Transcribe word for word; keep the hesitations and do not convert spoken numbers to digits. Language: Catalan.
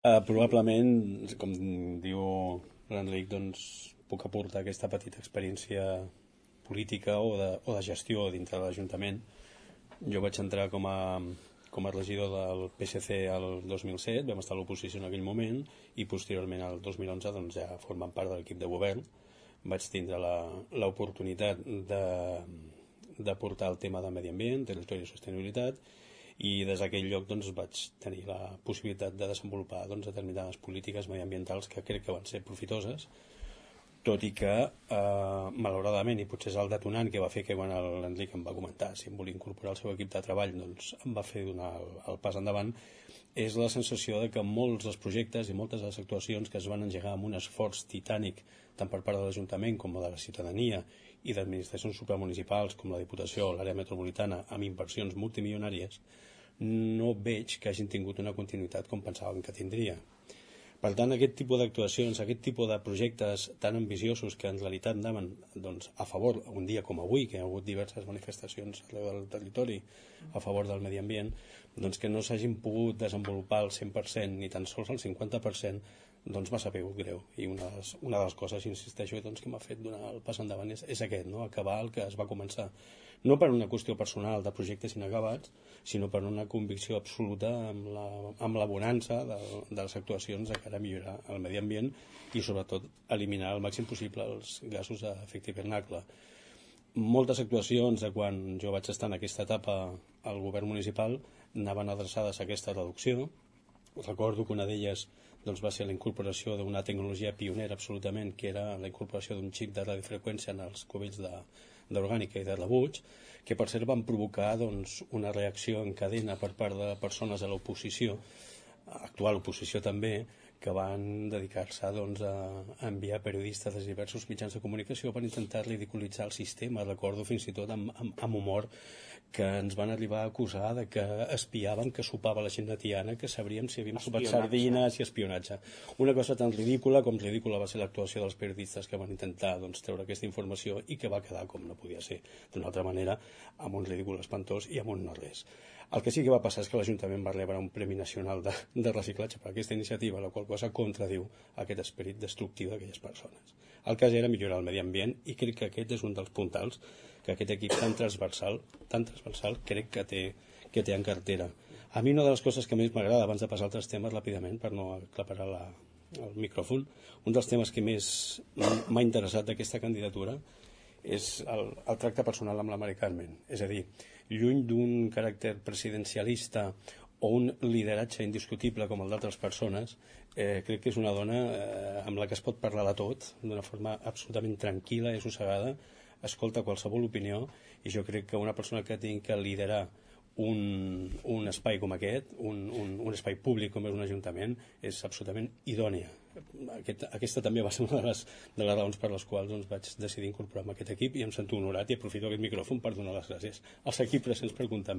Uh, probablement, com diu l'Enric, doncs puc aportar aquesta petita experiència política o de, o de gestió dintre de l'Ajuntament. Jo vaig entrar com a, com a regidor del P S C al dos mil set, vam estar a l'oposició en aquell moment, i posteriorment al dos mil onze doncs, ja formant part de l'equip de govern vaig tindre l'oportunitat de, de portar el tema de medi ambient, territori i sostenibilitat, i des d'aquell lloc doncs, vaig tenir la possibilitat de desenvolupar doncs, determinades polítiques mediambientals que crec que van ser profitoses, tot i que eh, malauradament, i potser és el detonant que va fer que quan l'Enric em va comentar si em volia incorporar al seu equip de treball, doncs em va fer donar el, el pas endavant, és la sensació de que molts dels projectes i moltes de les actuacions que es van engegar amb un esforç titànic tant per part de l'Ajuntament com de la ciutadania i d'administracions supramunicipals com la Diputació o l'àrea metropolitana amb inversions multimilionàries, no veig que hagin tingut una continuïtat com pensàvem que tindria. Per tant, aquest tipus d'actuacions, aquest tipus de projectes tan ambiciosos que en realitat anaven doncs, a favor, un dia com avui, que hi ha hagut diverses manifestacions arreu del territori a favor del medi ambient, doncs que no s'hagin pogut desenvolupar al cent per cent ni tan sols al cinquanta per cent, doncs m'ha sabut greu. I una de les, una de les coses, insisteixo, doncs, que m'ha fet donar el pas endavant és, és aquest, no? Acabar el que es va començar. No per una qüestió personal de projectes inacabats, sinó per una convicció absoluta amb la, amb la bonança de, de les actuacions de cara a millorar el medi ambient i sobretot eliminar al màxim possible els gasos d'efecte hivernacle. Moltes actuacions de quan jo vaig estar en aquesta etapa al govern municipal anaven adreçades a aquesta reducció. Recordo que una d'elles doncs, va ser la incorporació d'una tecnologia pionera absolutament, que era la incorporació d'un xip de radiofreqüència en els cubells de d'orgànica i de rebuig, que per cert van provocar doncs, una reacció en cadena per part de persones de l'oposició, actual oposició també, que van dedicar-se doncs, a enviar periodistes de diversos mitjans de comunicació per intentar ridiculitzar el sistema. Recordo fins i tot amb, amb, amb humor que ens van arribar a acusar de que espiaven, que sopava la gent de Tiana, que sabríem si havíem sopat sardines i espionatge. Una cosa tan ridícula com ridícula va ser l'actuació dels periodistes que van intentar doncs, treure aquesta informació i que va quedar com no podia ser d'una altra manera, amb un ridícul espantós i amb un no res. El que sí que va passar és que l'Ajuntament va rebre un Premi Nacional de, de Reciclatge per aquesta iniciativa, la qual cosa contradiu aquest esperit destructiu d'aquelles persones. El cas era millorar el medi ambient i crec que aquest és un dels puntals que aquest equip tan transversal, tan transversal crec que té, que té en cartera. A mi una de les coses que més m'agrada, abans de passar a altres temes ràpidament, per no aclaparar la, el micròfon, un dels temes que més m'ha interessat d'aquesta candidatura és el, el tracte personal amb la Mari Carmen. És a dir, lluny d'un caràcter presidencialista o un lideratge indiscutible com el d'altres persones, eh, crec que és una dona eh, amb la que es pot parlar de tot d'una forma absolutament tranquil·la i assossegada, escolta qualsevol opinió, i jo crec que una persona que tingui que liderar un, un espai com aquest, un, un, un espai públic com és un ajuntament, és absolutament idònia. Aquest, aquesta també va ser una de les, de les raons per les quals doncs, vaig decidir incorporar-me a aquest equip i em sento honorat i aprofito aquest micròfon per donar les gràcies als equips presents per comptar amb mi.